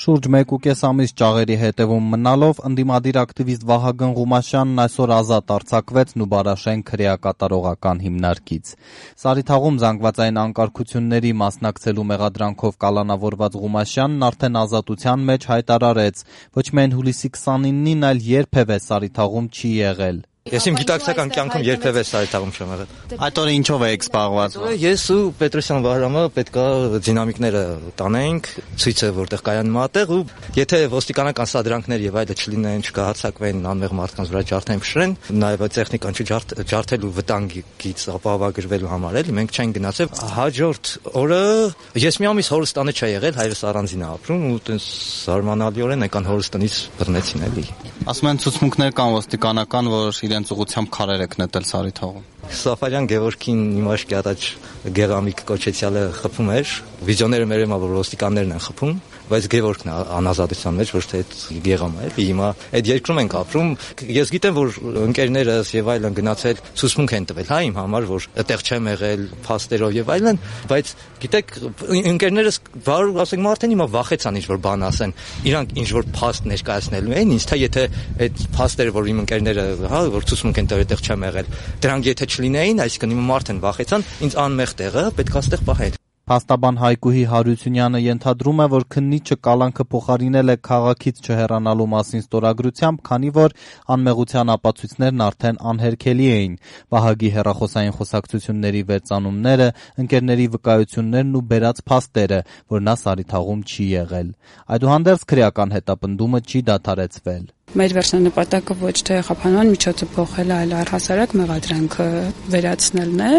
Շուրջ 1.5 ամիս ճաղերի հետևում մնալով ընդդիմադիր ակտիվիստ Վահագն Ղումաշյանն այսօր ազատ արձակվեց Նուբարաշեն քրեակատարողական հիմնարկից։ Սարիթաղում զանգվածային անկարգությունների մասնակցելու մեղադրանքով կալանավորված Ղումաշյանն արդեն ազատության մեջ հայտարարեց, ոչ միայն հուլիսի 29-ին, այլ երբևէ Սարիթաղում չի եղել։ Ես իմ գիտակցական կյանքում երբևէ Սարիթաղում չեմ եղել։ Այդ օրը ինչով եք զբաղված։ Ես ու Պետրոսյան Վահրամը պետքա դինամիկները տանենք, ցույցը որտեղ կայանում ատեղ ու եթե ոստիկանական սադրանքներ եւ այլը չլինեն, չկահացակվեն անմեղ մարդկանց վրա ջարդեն փշրեն, նաեւ տեխնիկան չջարդելու վտանգից ապահովագրվելու համար էլի մենք չենք գնացել։ Հաջորդ օրը ես մի ամիս հորստանը չի եղել, հայրս առանձին է ապրում ու տես զարմանալիորեն եկան հորստանից բռնեցին էլի։ Ասում են ցուցմունքներ կան ոստիկանական, որ իրենց ուղղությամբ քարեր եք նետել Սարիթաղում։ Սաֆարյան Գևորգին Նիմաշկի ադաչ Գեղամիկ կոչեցյալը խփում էր, վիդեոները մեր եմա որ ոստիկաններն են խփում, բայց Գևորգն է անազատության մեջ, ոչ թե այդ Գեղամը է։ Հիմա այդ երկրում ենք ապրում։ Ես գիտեմ, որ ընկերներս եւ այլն գնացել ցուցմունք են տվել, հա, իմ համար, որ այդտեղ չեմ եղել, փաստերով եւ այլն, բայց գիտեք, ընկերներս վարու ասենք մարդեն հիմա վախեցան ինչ որ բան ասեն, իրանք ինչ որ փաստ ներկայացնելու են, ինձ թե եթե այդ փաստերը, որ իմ ընկերները, հա, որ ցուցմունք են տվել, այդտեղ չեմ եղել, դրանք եթե չլինեին, այսինքն հիմա մարդեն վախեցան, ինձ անմեղ տեղը պետք է այստեղ պահել։ Փաստաբան Հայկուհի Հարությունյանը ենթադրում է, որ քննիչը կալանքը փոխարինել է քաղաքից չհեռանալու մասին ստորագրությամբ, քանի որ անմեղության ապացույցներն արդեն անհերքելի էին։ Վահագի հեռախոսային խոսակցությունների վերծանումները, ընկերների վկայություններն ու բերած փաստերը, որ նա Սարիթաղում չի եղել։ Այդուհանդերձ քրեական հետապնդումը չի դադարեցվել։ Մեր վերջնանպատակը ոչ թե խափանման միջոցը փոխելը, այլ առհասարակ մեղադրանքը վերացնելն է։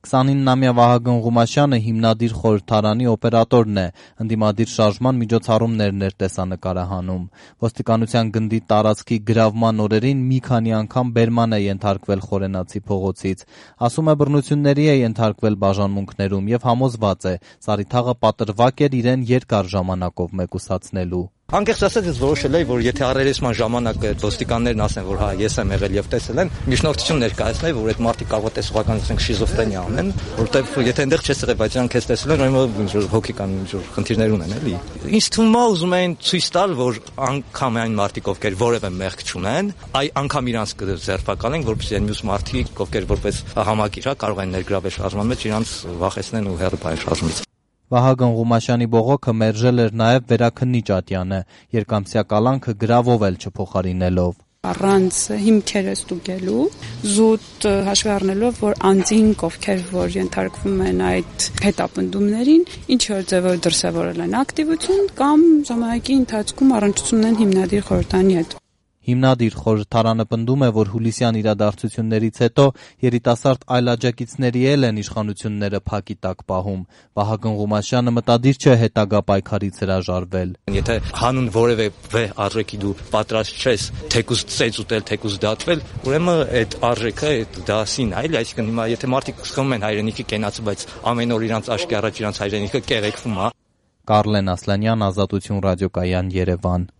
29-ամյա Վահագն Ղումաշյանը հիմնադիր խորհրդարանի օպերատորն է, ընդդիմադիր շարժման միջոցառումներն էր տեսանկարահանում։ Ոստիկանության գնդի տարածքի գրավման օրերին մի քանի անգամ բերման է ենթարկվել Խորենացի փողոցից։ Ասում է բռնությունների է ենթարկվել բաժանմունքներում եւ համոզված է, Սարիթաղը պատրվակ էր իրեն երկար ժամանակով մեկուսացնելու։ Անկեղծ ասած ես որոշել եմ, որ եթե առերեսման ժամանակ ոստիկաններն ասեն, որ հա ես եմ եղել եւ տեսել եմ, միջնորդություն ներկայացնել, որ այդ մարդիկ կարող է տեսողական ասենք շիզոֆրենիա անեն, որտեղ եթե այնտեղ չես եղել, բայց իրանք քեզ տեսել են, ուրեմն հոգեկան խնդիրներ ունեն, էլի։ Ինձ թվում է ուզում են ցույց տալ, որ անգամ այն մարդիկ, ովքեր որևէ մեղք չունեն, անգամ իրանք կձերբակալեն, որպեսզի այն մյուս մարդիկ, ովքեր որպես համակիր կարող են ներգրավել շարժման մեջ, իրանք վախեցնեն ու հեռու բայեն շարժումից։ Վահագն Ղումաշյանի բողոքը մերժել էր նաև վերաքննիչ Ատյանը, երկամսյա կալանքը գրավով էլ չփոխարինելով։ Առանց հիմքերը ստուգելու, զուտ հաշվի առնելով, որ անձինք, ովքեր որ ենթարկվում են այդ հետապնդումներին, ինչ որ ձևով դրսևորել են ակտիվություն կամ ժամանակի ընթացքում առնչություն են հիմնադիր խորհրդանի հետ։ Հիմնադիր խորհրդարանը պնդում է, որ հուլիսյան իրադարձություններից հետո երիտասարդ այլաջակիցների էլ են իշխանությունները փակի տակ պահում։ Վահագն Ղումաշյանը մտադիր չէ հետագա պայքարից հրաժարվել։ Եթե հանուն որևէ վեհ արժեքի դու պատրաստ չես թեկուզ ծեծ ուտել, թեկուզ դատվել, ուրեմն այդ արժեքը, այդ դասին, այլ այսինքն հիմա եթե մարդիկ սխալվում են հայրենիքի կենացը, բայց ամեն օր իրանց աչքի առաջ իրանց հայրենիքը կեղեքվում է։ Կարլեն Ասլանյան, Ազատություն ռադիոկայան, Երևան։